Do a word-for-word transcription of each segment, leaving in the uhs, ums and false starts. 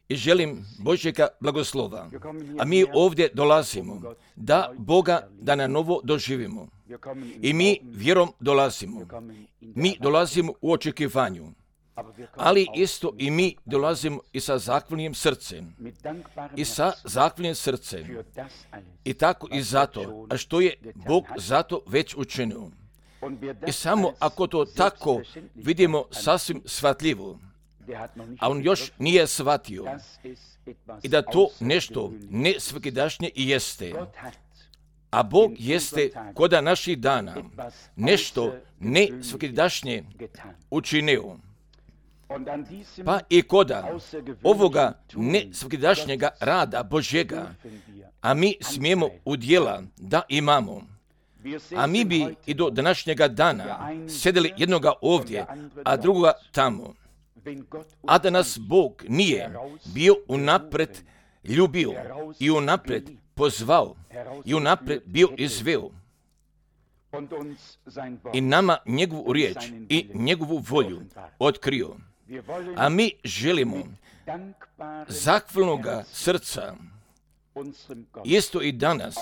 i želim Božjega blagoslova. A mi ovdje dolazimo da Boga da na novo doživimo. I mi vjerom dolazimo. Mi dolazimo u očekivanju. Ali isto i mi dolazimo i sa zahvalnim srcem. I sa zahvalnim srcem. I tako i zato, a što je Bog zato već učinio. I samo ako to tako vidimo sasvim shvatljivo, a on još nije shvatio, i da to nešto ne svakidašnje i jeste, a Bog jeste koda naših dana nešto ne svakidašnje učinio. Pa i koda ovoga ne svakidašnjega rada Božjega, a mi smijemo udjela da imamo. A mi bi i do današnjega dana sedeli jednoga ovdje, a drugoga tamo. A da nas Bog nije bio unapred ljubio i unapred pozvao i unapred bio izveo i nama njegovu riječ i njegovu volju otkrio. A mi želimo zahvalnoga srca isto i danas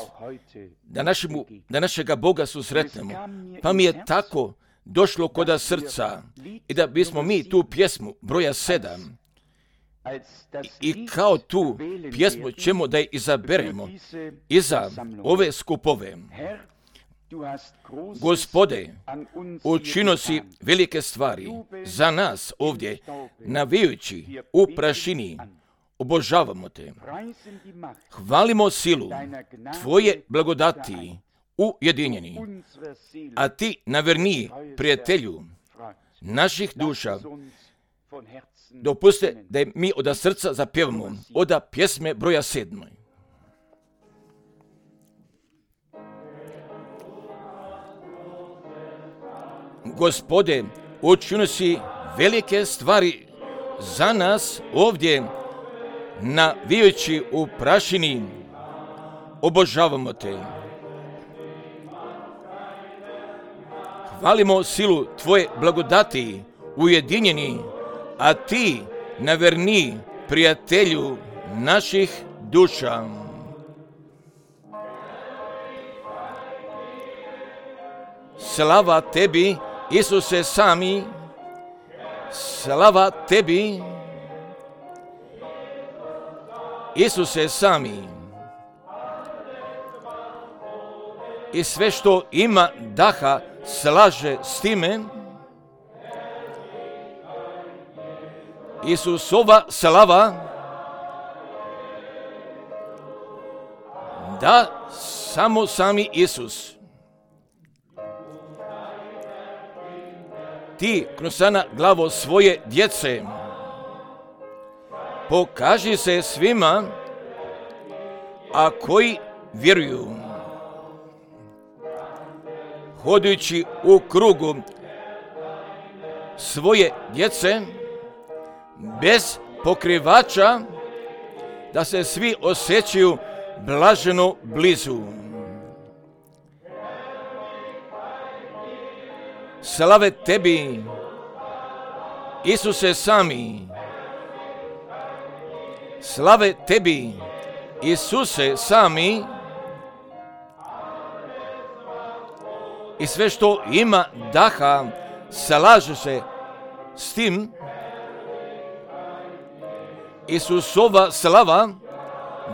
da, našemu, da našega Boga susretnemo. Pa mi je tako došlo koda srca i da bismo mi tu pjesmu broja sedam i, i kao tu pjesmu ćemo da je izaberemo iza ove skupove. Gospode, učinio si velike stvari za nas ovdje, navijući u prašini. Obožavamo te. Hvalimo silu tvoje blagodati ujedinjeni, a ti naverniji prijatelju naših duša. Dopuste da mi od srca zapjevamo od pjesme broja sedmoj. Gospode, učinio si velike stvari za nas ovdje, navijući u prašini, obožavamo te. Hvalimo silu tvoje blagodati ujedinjeni, a ti naverni prijatelju naših duša. Slava tebi, Isuse sami, slava tebi, Isuse sami. I sve što ima daha slaže s time. Isusova slava, da samo sami Isus. Ti krusana glavo svoje djece, pokaži se svima, a koji vjeruju. Hodajući u krugu svoje djece, bez pokrivača, da se svi osjećaju blaženo blizu. Slave tebi, Isuse sami. Slave tebi, Isuse sami. I sve što ima daha slaže se s tim. Isusova slava,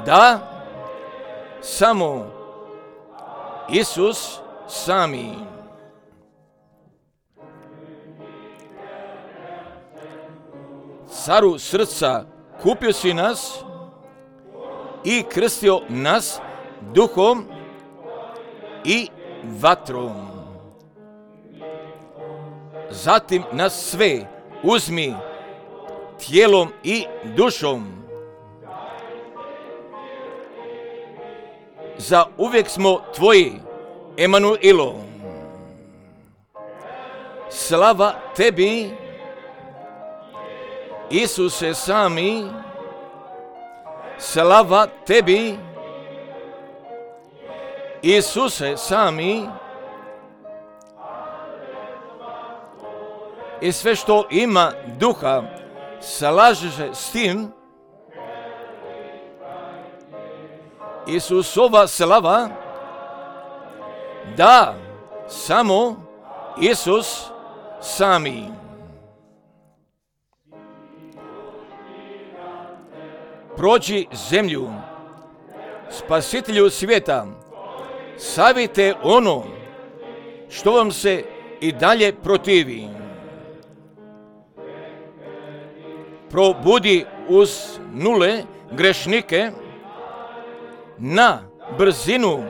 da samo Isus sami. Caru srca, kupio si nas i krstio nas duhom i vatrom. Zatim nas sve uzmi tijelom i dušom. Za uvijek smo tvoji, Emanuilo. Slava tebi, Isuse sami. Slava tebi, Isuse sami. I sve što ima duha slaže se s tim, Isusova slava, da samo Isus sami. Prođi zemlju, Spasitelju svijeta, savite ono što vam se i dalje protivi. Probudi uz nule grešnike na brzinu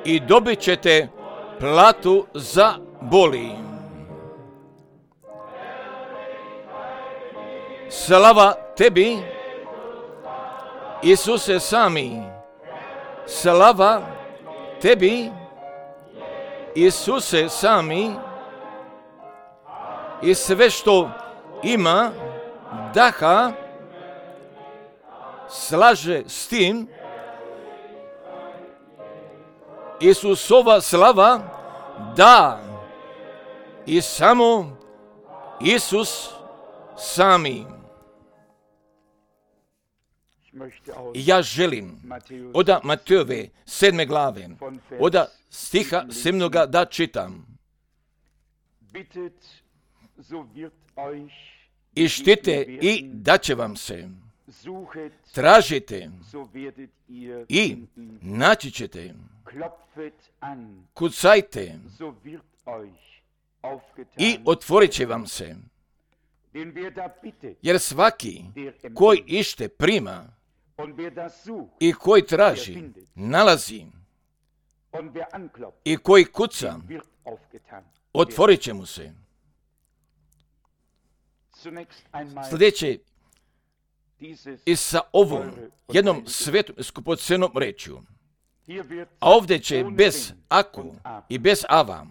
i dobit ćete platu za boli. Slava tebi, Isuse sami. Slava tebi, Isuse sami, i sve što ima daha slaže s tim. Isusova slava, da i samo Isus sami. Ja želim od Matejove sedme glave, od stiha sedmoga da čitam. Ištite i daće vam se. Tražite i naći ćete. Kucajte i otvorit će vam se. Jer svaki koji ište prima i koji traži, nalazi, i koji kuca, otvorit će mu se. Sljedeće, i sa ovom jednom svetom skupocenom rečju, a ovdje će bez aku i bez ava,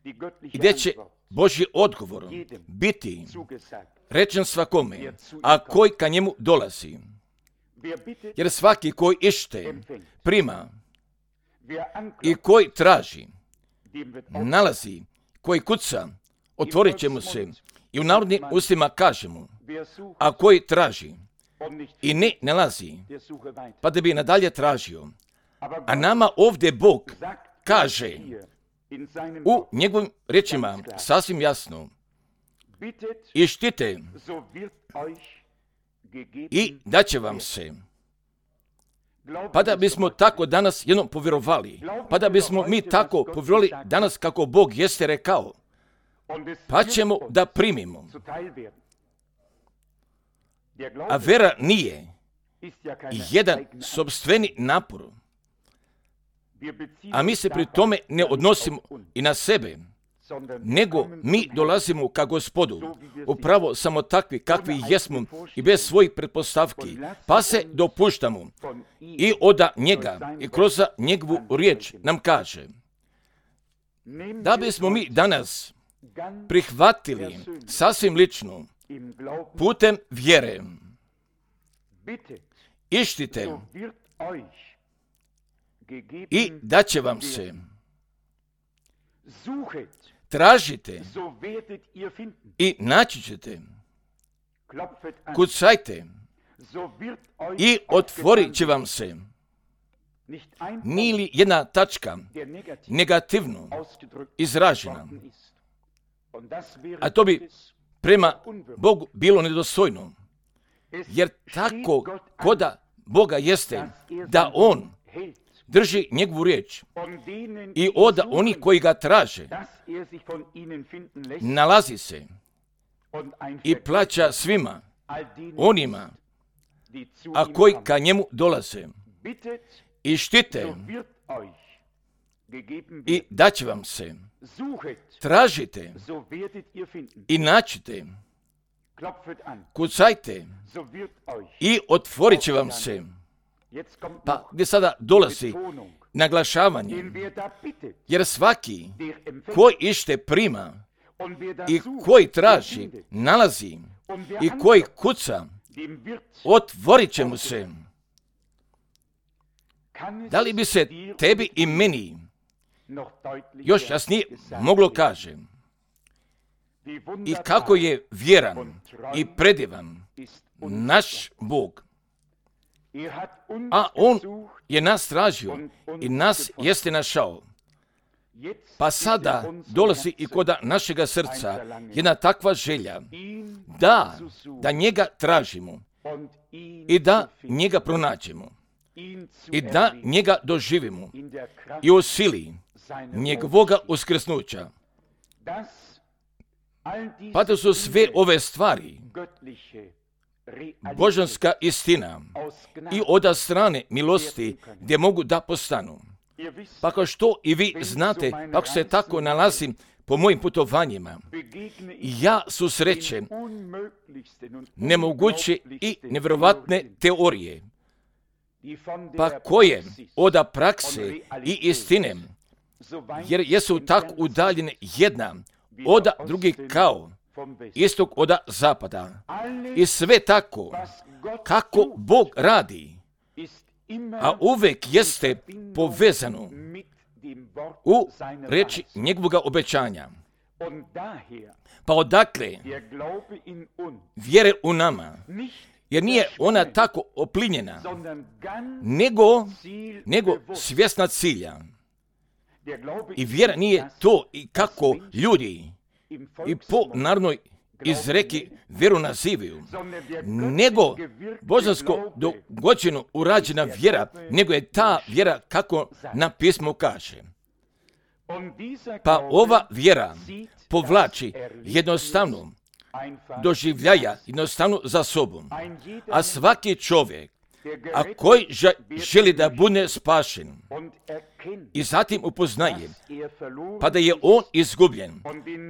i gdje će Božji odgovor biti rečen svakome, a koji ka njemu dolazi. Jer svaki koji ište prima i koji traži, nalazi, koji kuca, otvorit će mu se. I u narodnim ustima kažemo, a koji traži i ne nalazi, pa da bi nadalje tražio. A nama ovdje Bog kaže u njegovim rečima sasvim jasno, ištite i daće vam se. Pa da bismo tako danas jednom povjerovali, pa da bismo mi tako povjerovali danas kako Bog jeste rekao, pa ćemo da primimo. A vera nije jedan sopstveni napor, a mi se pri tome ne odnosimo i na sebe, nego mi dolazimo ka Gospodu, upravo samo takvi kakvi jesmo i bez svojih pretpostavki, pa se dopuštamo i od njega i kroz njegovu riječ nam kaže da bismo mi danas prihvatili sasvim lično putem vjere. Ištite i daće vam se. Tražite i naći ćete. Kucajte i otvorit će vam se. Nije li jedna tačka negativno izražena? A to bi prema Bogu bilo nedostojno. Jer tako koda Boga jeste da On drži njegovu riječ i od onih koji ga traže nalazi se i plaća svima onima a koji ka njemu dolaze. I štite i daće vam se. Tražite i naćite. Kucajte i otvorit će vam se. Pa gdje sada dolazi naglašavanje, jer svaki koji ište prima i koji traži, nalazi i koji kuca, otvorit će mu se. Da li bi se tebi i meni još jasnije moglo kaže? i kako je vjeran i predivan naš Bog. A On je nas tražio i nas jeste našao. Pa sada dolazi i kod našega srca jedna takva želja da, da njega tražimo i da njega pronađemo i da njega doživimo i u sili njegovoga uskrsnuća. Pa to su sve ove stvari božanska istina i od strane milosti gdje mogu da postanu. Pa kao što i vi znate, ako se tako nalazim po mojim putovanjima, ja susrećem nemoguće i nevjerovatne teorije, pa koje od prakse i istine, jer jesu tako udaljene jedna od drugih kao istog od zapada. I sve tako, kako Bog radi, a uvek jeste povezano u reči njegovoga obećanja. Pa odakle vjere u nama, jer nije ona tako oplinjena, nego, nego svjesna cilja. I vjera nije to i kako ljudi i po narodnoj izreki vjeru nazivaju, nego božansko dogođeno urađena vjera, nego je ta vjera kako na pismo kaže. Pa ova vjera povlači jednostavno doživljaja, jednostavno za sobom. A svaki čovjek, a koji želi da bude spašen i zatim upoznaje, pa da je on izgubljen,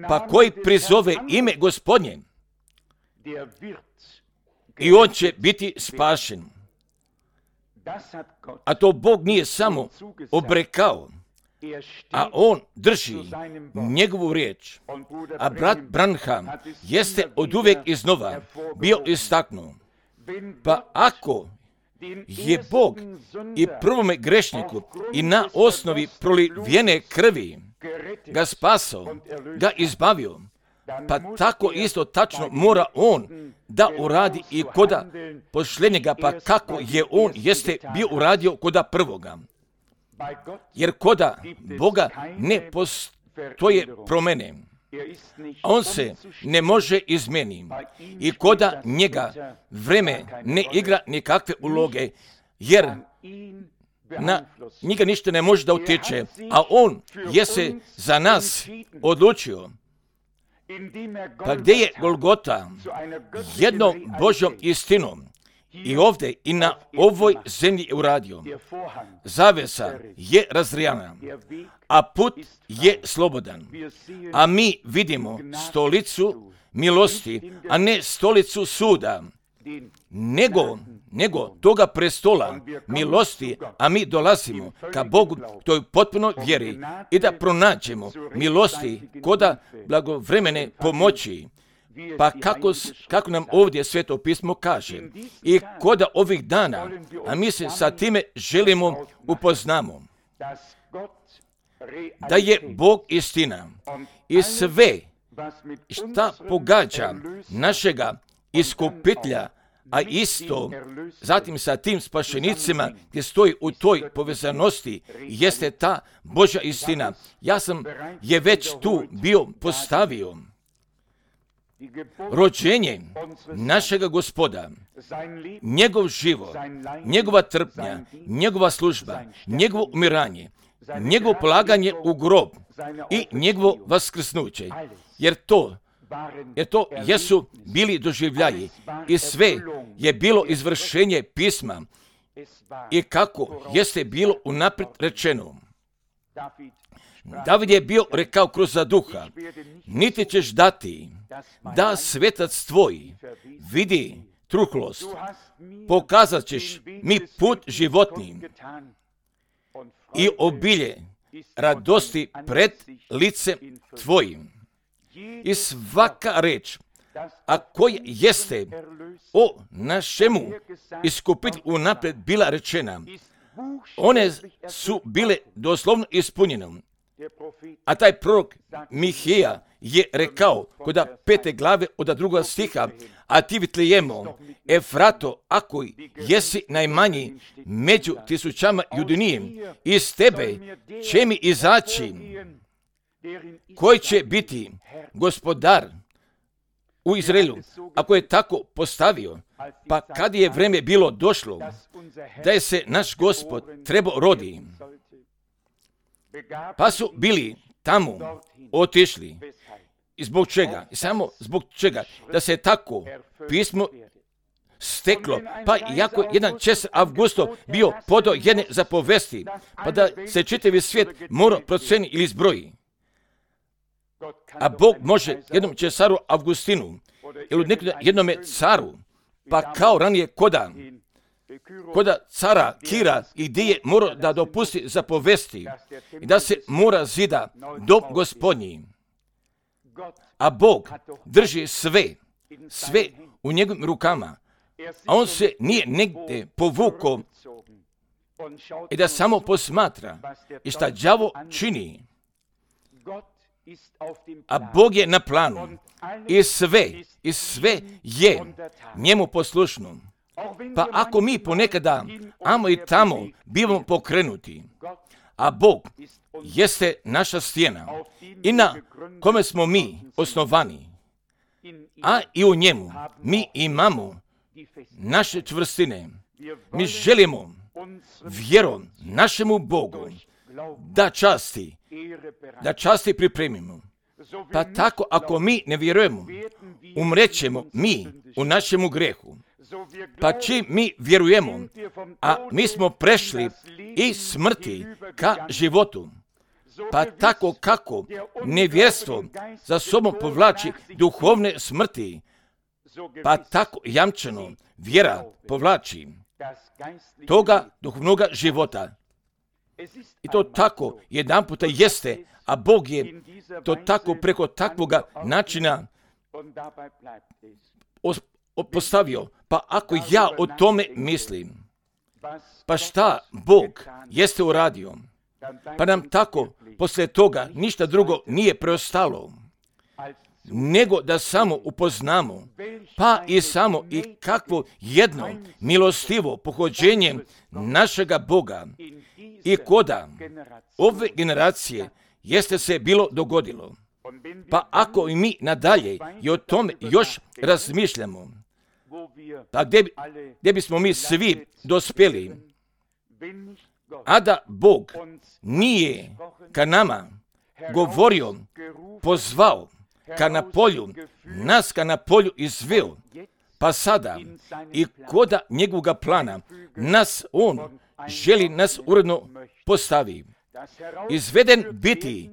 pa koji prizove ime Gospodnje, i on će biti spašen. A to Bog nije samo obrekao, a on drži njegovu riječ. A brat Branham jeste oduvijek iznova bio istaknuo. Pa ako je Bog i prvome grešniku i na osnovi prolivene krvi ga spasao, ga izbavio, pa tako isto tačno mora on da uradi i koda posljednjega, pa kako je on jeste bio uradio koda prvoga. Jer koda Boga ne postoje promjene, a on se ne može izmeniti i koda njega vreme ne igra nikakve uloge, jer na njega ništa ne može da utječe, a on je se za nas odlučio. Pa gdje je Golgota jednom Božjom istinom i ovdje i na ovoj zemlji je uradio. Zavesa je razrijana, a put je slobodan. A mi vidimo stolicu milosti, a ne stolicu suda, nego, nego toga prestola milosti, a mi dolazimo ka Bogu toj potpuno vjeri i da pronađemo milosti koda blagovremene pomoći. Pa kako, kako nam ovdje Sveto pismo kaže i koda ovih dana, a mi se sa time želimo upoznamo, da je Bog istina i sve šta pogađa našega iskupitelja, a isto zatim sa tim spašenicima gdje stoji u toj povezanosti jeste ta Božja istina. Ja sam je već tu bio postavio. Rođenje našega Gospoda, njegov život, njegova trpnja, njegova služba, njegovo umiranje, njegovo polaganje u grob i njegovo vaskrsnuće, jer to, jer to jesu bili doživljaji i sve je bilo izvršenje pisma i kako jeste bilo unaprijed rečeno. David je bio rekao kroz za duha, niti ćeš dati da svetac tvoj vidi truhlost, pokazat ćeš mi put životni i obilje radosti pred licem tvojim. I svaka reč, a koja jeste o našemu iskupitelju unaprijed bila rečena, one su bile doslovno ispunjene. A taj prorok Mihija je rekao kod pete glave od drugoga stiha, a ti Vitlejemo, Efrato, ako jesi najmanji među tisućama judinijem, iz tebe će mi izaći koji će biti gospodar u Izraelu. Ako je tako postavio, pa kad je vreme bilo došlo da je se naš Gospod trebao rodi, pa su bili tamo otišli. I zbog čega? I samo zbog čega? Da se tako pismo steklo. Pa iako jedan Cesar Augusto bio podao jedne zapovesti, pa da se čitavi svijet mora proceni ili zbroji. A Bog može jednom Cesaru Augustinu ili jednome caru, pa kao ranije koda, koda cara Kira i gdje je morao da dopusti zapovesti i da se mora zida dom Gospodnji. A Bog drži sve, sve u njegovim rukama, a on se nije negdje povukao i da samo posmatra i šta đavo čini. A Bog je na planu i sve, i sve je njemu poslušno. Pa ako mi ponekada amo i tamo bivamo pokrenuti, a Bog jeste naša stijena i na kome smo mi osnovani, a i u njemu mi imamo naše čvrstine. Mi želimo vjerom našemu Bogu da časti, da časti pripremimo. Pa tako ako mi ne vjerujemo, umrećemo mi u našemu grehu. Pa čim mi vjerujemo, a mi smo prešli iz smrti ka životu, pa tako kako nevjerstvo za sobom povlači duhovne smrti, pa tako jamčeno vjera povlači toga duhovnoga života. I to tako jedan puta jeste, a Bog je to tako preko takvoga načina postavio. Pa ako ja o tome mislim, pa šta Bog jeste uradio, pa nam tako poslije toga ništa drugo nije preostalo, nego da samo upoznamo, pa i samo i kakvo jedno milostivo pohođenje našega Boga i koda ove generacije jeste se bilo dogodilo. Pa ako i mi nadalje i o tome još razmišljamo, pa gdje, gdje bismo mi svi dospjeli, a da Bog nije ka nama govorio, pozvao, ka na polju, nas ka na polju izveo, pa sada i koda njegovoga plana nas on želi nas uredno postavi. Izveden biti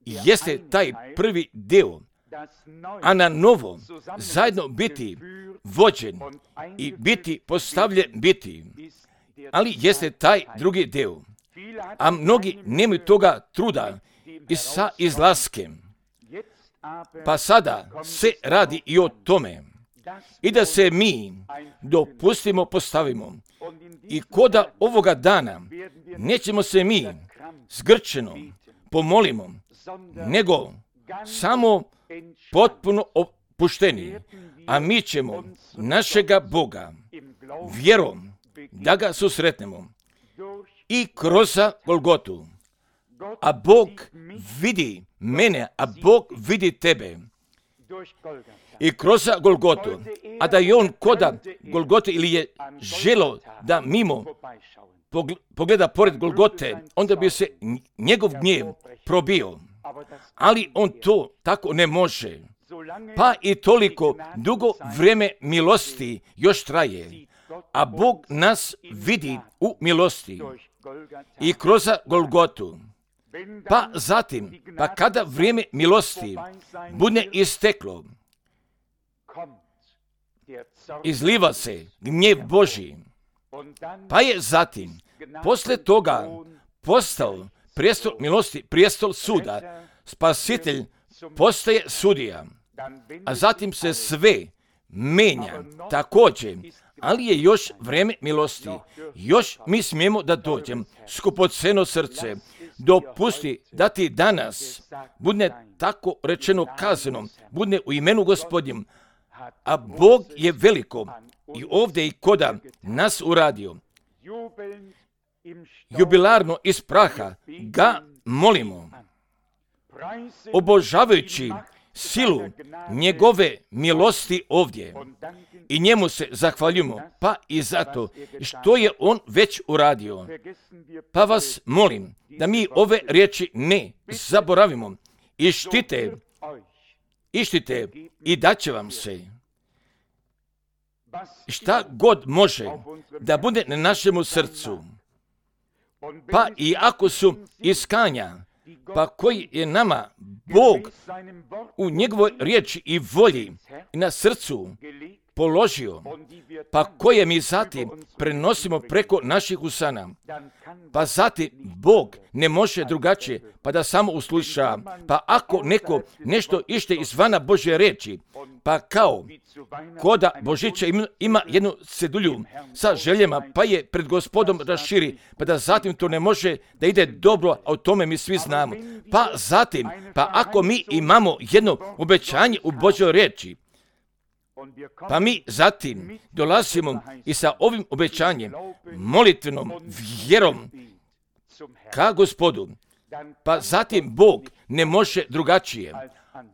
jeste taj prvi dio, a na novo zajedno biti vođen i biti postavljen biti, ali jeste taj drugi dio. A mnogi nemaju toga truda i sa izlaskem. Pa sada se radi i o tome i da se mi dopustimo postavimo i koda ovoga dana nećemo se mi zgrčeno pomolimo, nego samo potpuno opušteni, a mi ćemo našega Boga vjerom da ga susretnemo i kroz Golgotu. A Bog vidi mene, a Bog vidi tebe i kroz Golgotu. A da je on koda Golgote ili je želo da mimo pogleda pored Golgote, onda bi se njegov gnjev probio. Ali on to tako ne može. Pa i toliko dugo vrijeme milosti još traje. A Bog nas vidi u milosti i kroz Golgotu. Pa zatim, pa kada vrijeme milosti bude isteklo, izliva se gnjev Božji. Pa je zatim, posle toga, postao prijestol milosti, prijestol suda, spasitelj postaje sudija, a zatim se sve menja također, ali je još vrijeme milosti. Još mi smijemo da dođem, skupoceno srce, dopusti da ti danas bude tako rečeno kazano, bude u imenu Gospodnjem, a Bog je veliko i ovdje i koda nas uradio. Jubilarno iz praha ga molimo, obožavajući silu njegove milosti ovdje i njemu se zahvaljujemo, pa i zato što je on već uradio. Pa vas molim da mi ove riječi ne zaboravimo i štite, ištite i daće vam se šta god može da bude na našemu srcu. Pa i ako su iskanja, pa koji je nama Bog u njegovoj riječi i volji i na srcu položio, pa koje mi zatim prenosimo preko naših usana, pa zatim Bog ne može drugačije, pa da samo usluša. Pa ako neko nešto ište izvana Božje riječi, pa kao koda Božića ima jednu cedulju sa željama, pa je pred Gospodom raširi, pa da zatim to ne može da ide dobro, a o tome mi svi znamo. Pa zatim, pa ako mi imamo jedno obećanje u Božjoj riječi, pa mi zatim dolazimo i sa ovim obećanjem, molitvenom vjerom ka Gospodu, pa zatim Bog ne može drugačije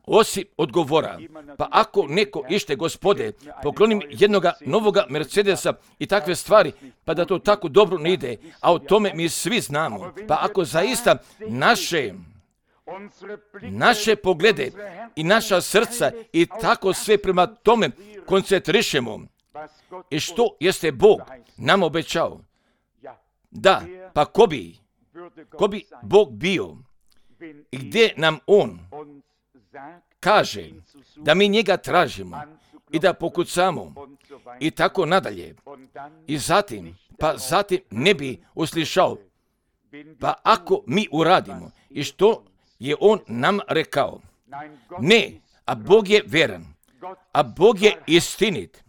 osim odgovora. Pa ako neko ište, Gospode, poklonim jednoga novoga Mercedesa i takve stvari, pa da to tako dobro ne ide, a o tome mi svi znamo. Pa ako zaista naše naše poglede i naša srca i tako sve prema tome koncentrišemo i što jeste Bog nam obećao. Da, pa ko bi, ko bi Bog bio i gdje nam On kaže da mi njega tražimo i da pokucamo i tako nadalje. I zatim, pa zatim ne bi uslišao. Pa ako mi uradimo i što je on nam rekao, ne, a Bog je veran, a Bog je istinit,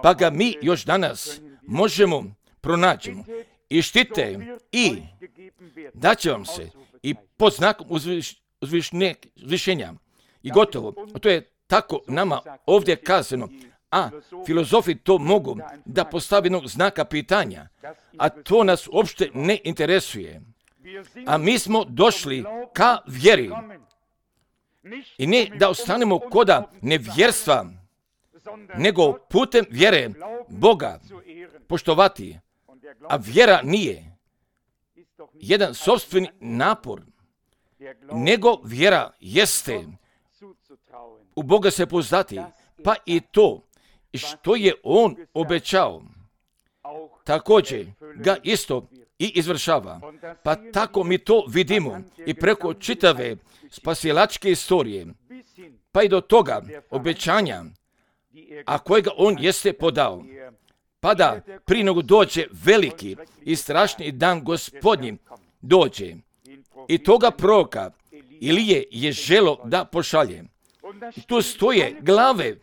pa ga mi još danas možemo pronađemo i štite i da će vam se i pod znakom uzviš, uzvišne, uzvišenja i gotovo. To je tako nama ovdje kazano, a filozofi to mogu da postavi jednog znaka pitanja, a to nas uopšte ne interesuje. A mi smo došli ka vjeri i ne da ostanemo koda nevjerstva, nego putem vjere Boga poštovati. A vjera nije jedan sopstveni napor, nego vjera jeste u Boga se pouzdati, pa i to što je On obećao, također ga isto i izvršava. Pa tako mi to vidimo i preko čitave spasilačke istorije, pa i do toga obećanja, a kojega On jeste podao. Pa da prije nego dođe veliki i strašni dan Gospodnji dođe i toga proroka Ilije je želo da pošalje. I tu stoje glave,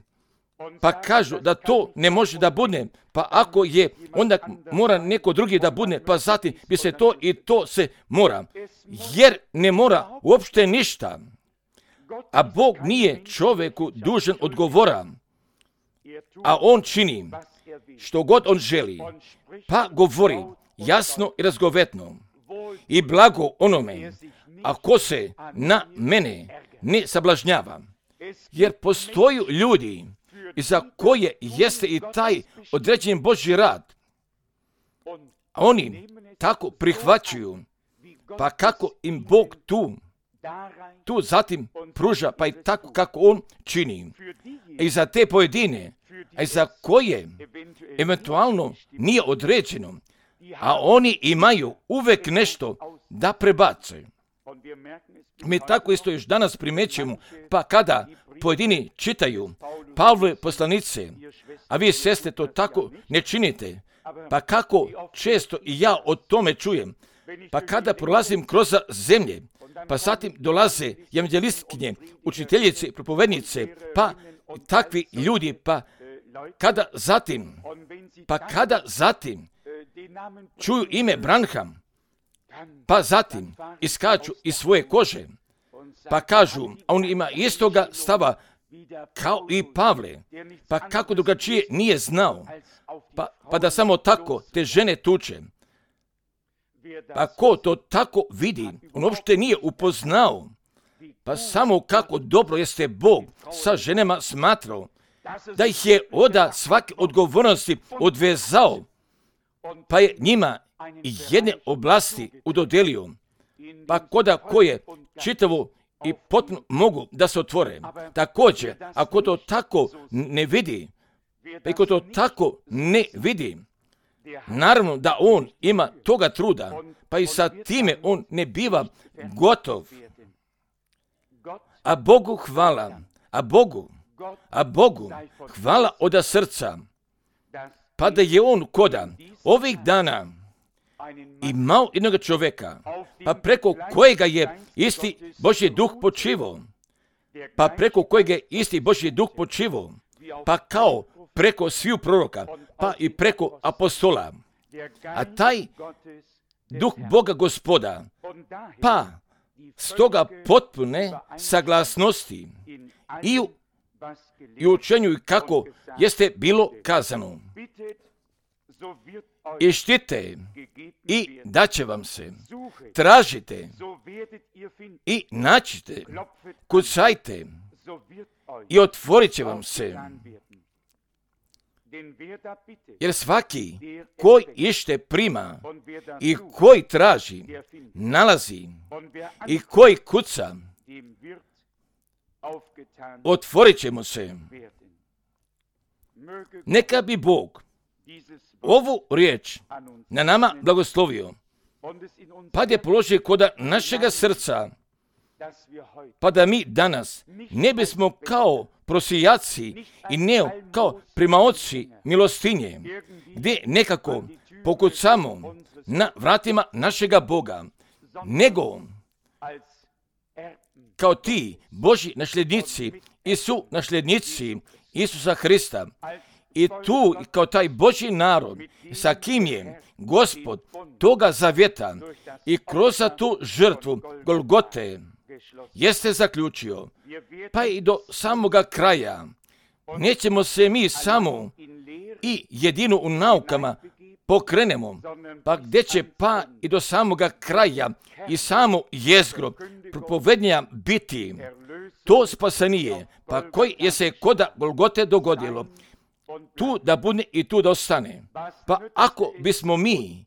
pa kažu da to ne može da bude, pa ako je, onda mora neko drugi da bude, pa zatim bi se to i to se mora. Jer ne mora uopšte ništa, a Bog nije čovjeku dužan odgovora, a On čini što god On želi, pa govori jasno i razgovetno i blago onome, a ko se na mene ne sablažnjava. Jer postoji ljudi za koje jeste i taj određen Božji rad, a oni tako prihvaćuju, pa kako im Bog tu, tu zatim pruža, pa i tako kako On čini. I za te pojedine, a za koje eventualno nije određeno, a oni imaju uvek nešto da prebace. Mi tako isto još danas primećujemo, pa kada pojedini čitaju Pavlove poslanice, a vi sestre to tako ne činite, pa kako često i ja o tome čujem, pa kada prolazim kroz zemlje, pa zatim dolaze evanđelistkinje, učiteljice, propovednice, pa takvi ljudi, pa kada zatim, pa kada zatim čuju ime Branham, pa zatim iskaču iz svoje kože, pa kažu, a on ima istoga stava kao i Pavle, pa kako drugačije nije znao, pa, pa da samo tako te žene tuče. Pa ko to tako vidi, on uopšte nije upoznao, pa samo kako dobro jeste Bog sa ženama smatrao, da ih je oda svake odgovornosti odvezao, pa je njima jedne oblasti udodelio, pa koda koje čitavo i potpuno mogu da se otvore. Također, ako to tako ne vidi, pa ako to tako ne vidi, naravno da on ima toga truda, pa i sa time on ne biva gotov. A Bogu hvala, a Bogu, a Bogu hvala od srca, pa da je on koda ovih dana imao jednog čovjeka, pa preko kojega je isti Božji duh počivao, pa preko kojega je isti Božji duh počivao, pa kao preko sviju proroka, pa i preko apostola. A taj duh Boga Gospoda, pa stoga potpune saglasnosti i u, i u učenju i kako jeste bilo kazano. I štite i daće vam se, tražite i naćite, kucajte i otvorit će vam se. Jer svaki koji ište prima i koji traži, nalazi i koji kuca, otvorit će mu se. Neka bi Bog ovu riječ na nama blagoslovio, pa je položio kod našega srca, pa da mi danas ne bismo kao prosijaci i ne kao primaoci milostinje, gdje nekako pokucamo na vratima našega Boga, nego kao ti Božji nasljednici i su nasljednici Isusa Hrista. I tu, kao taj Božji narod, sa kim je Gospod toga zavjeta i kroz tu žrtvu Golgote jeste zaključio, pa i do samoga kraja. Nećemo se mi samo i jedino u naukama pokrenemo, pa gdje će pa i do samoga kraja i samo jezgro propovednja biti to spasenije, pa koji je se koda Golgote dogodilo, tu da bude i tu da ostane. Pa ako bismo mi,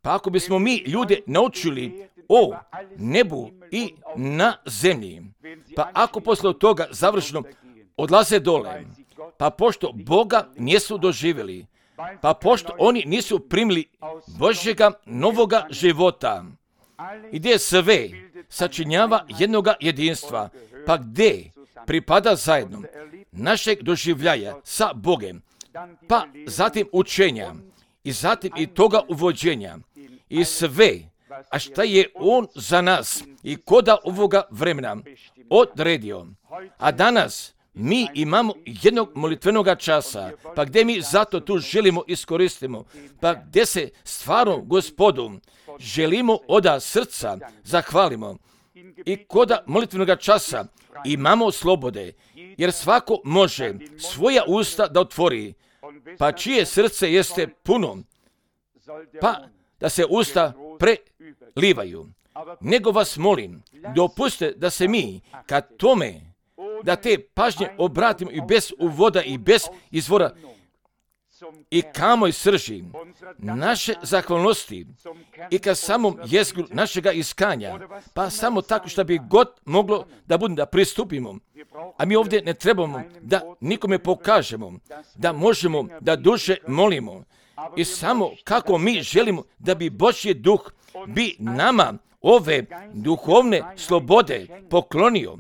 pa ako bismo mi ljude naučili o nebu i na zemlji, pa ako posle toga završeno odlaze dole, pa pošto Boga nisu doživjeli, pa pošto oni nisu primili Božjega novoga života, gdje sve sačinjava jednoga jedinstva, pa gdje pripada zajedno našeg doživljaja sa Bogem, pa zatim učenja i zatim i toga uvođenja i sve, a šta je On za nas i koda ovoga vremena odredio. A danas mi imamo jednog molitvenog časa, pa gdje mi zato tu želimo iskoristimo, pa gdje se stvarno Gospodu želimo od srca zahvalimo i koda molitvenog časa imamo slobode, jer svako može svoja usta da otvori, pa čije srce jeste puno, pa da se usta prelivaju. Nego vas molim, dopustite da se mi kad tome, da te pažnje obratimo i bez uvoda i bez izvora i kamoj srži naše zahvalnosti i ka samom jezgru našega iskanja, pa samo tako što bi god moglo da bude da pristupimo. A mi ovdje ne trebamo da nikome pokažemo, da možemo da duše molimo i samo kako mi želimo da bi Božji duh bi nama ove duhovne slobode poklonio,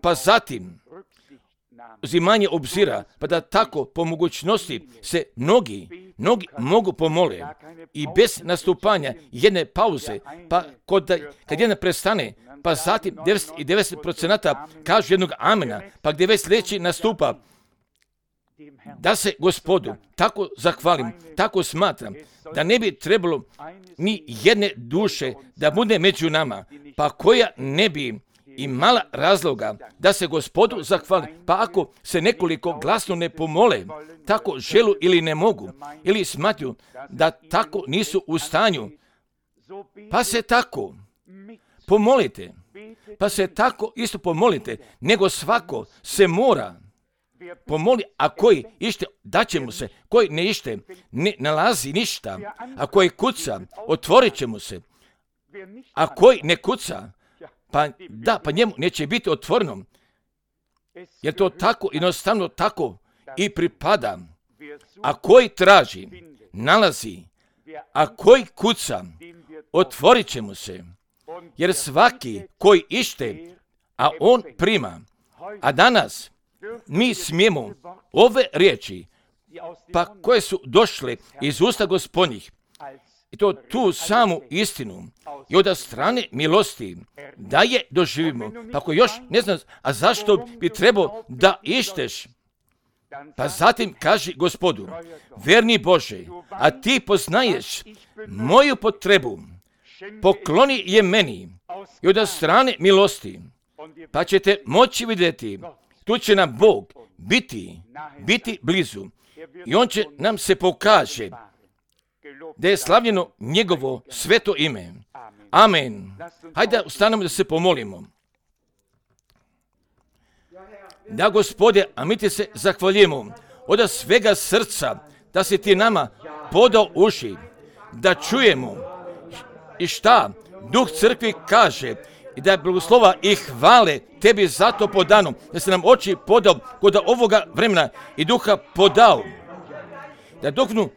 pa zatim uzimanje obzira, pa da tako po mogućnosti se mnogi, mnogi mogu pomole i bez nastupanja jedne pauze, pa kod, kad jedna prestane, pa zatim devedeset devet posto kažu jednog amena, pa gdje već sljedeći nastupa, da se Gospodu tako zahvalim, tako smatram, da ne bi trebalo ni jedne duše da bude među nama, pa koja ne bi imala razloga da se Gospodu zahvali, pa ako se nekoliko glasno ne pomole, tako želu ili ne mogu, ili smatruju da tako nisu u stanju, pa se tako pomolite, pa se tako isto pomolite, nego svako se mora pomoli, a koji ište, daće mu se, koji ne ište, ne nalazi ništa, a koji kuca, otvorit će mu se, a koji ne kuca, pa da, pa njemu neće biti otvoreno, jer to tako jednostavno tako i pripada. A koji traži, nalazi, a koji kuca, otvorit će mu se, jer svaki koji ište, a on prima. A danas mi smijemo ove riječi, pa koje su došle iz usta Gospodnjih, i to tu samu istinu i od strane milosti, da je doživimo. Pa ako još ne znam, a zašto bi trebao da išteš? Pa zatim kaži Gospodu, verni Bože, a ti poznaješ moju potrebu, pokloni je meni i od strane milosti, pa ćete moći vidjeti, tu će nam Bog biti, biti blizu i on će nam se pokaže da je slavljeno njegovo sveto ime. Amen. Hajde ustanemo da se pomolimo. Da, Gospode, a mi ti se zahvaljujemo od svega srca da si ti nama podao uši, da čujemo i šta Duh crkvi kaže i da je blagoslova i hvale tebi zato podano, da se nam oči podao kod ovoga vremena i Duha podao, da duhovnu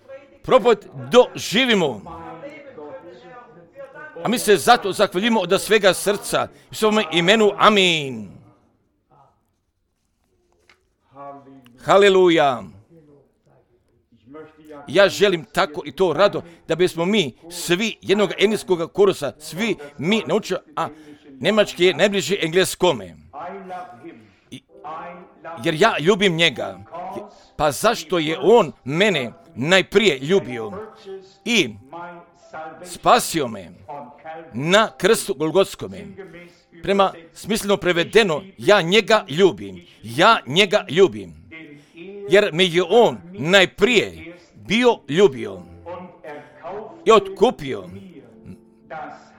propoved doživimo. A mi se zato zahvaljujemo od svega srca u svome imenu. Amin. Haleluja. Ja želim tako i to rado da bismo mi svi jednog engleskog kursa, svi mi naučili, a njemački je najbliži engleskome. I, jer ja ljubim njega. Pa zašto je on mene najprije ljubio i spasio me na krstu Golgotskome. Prema smisleno prevedeno, ja njega ljubim. Ja njega ljubim. Jer me je on najprije bio ljubio i otkupio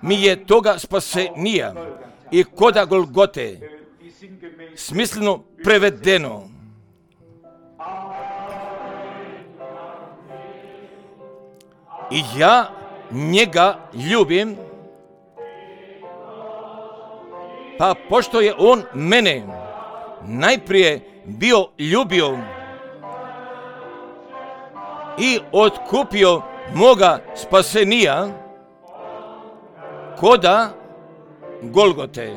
mi je toga spasenija i koda Golgote, smisleno prevedeno. I ja njega ljubim, pa pošto je on mene najprije bio ljubio i otkupio moga spasenija koda Golgote.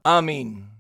Amin.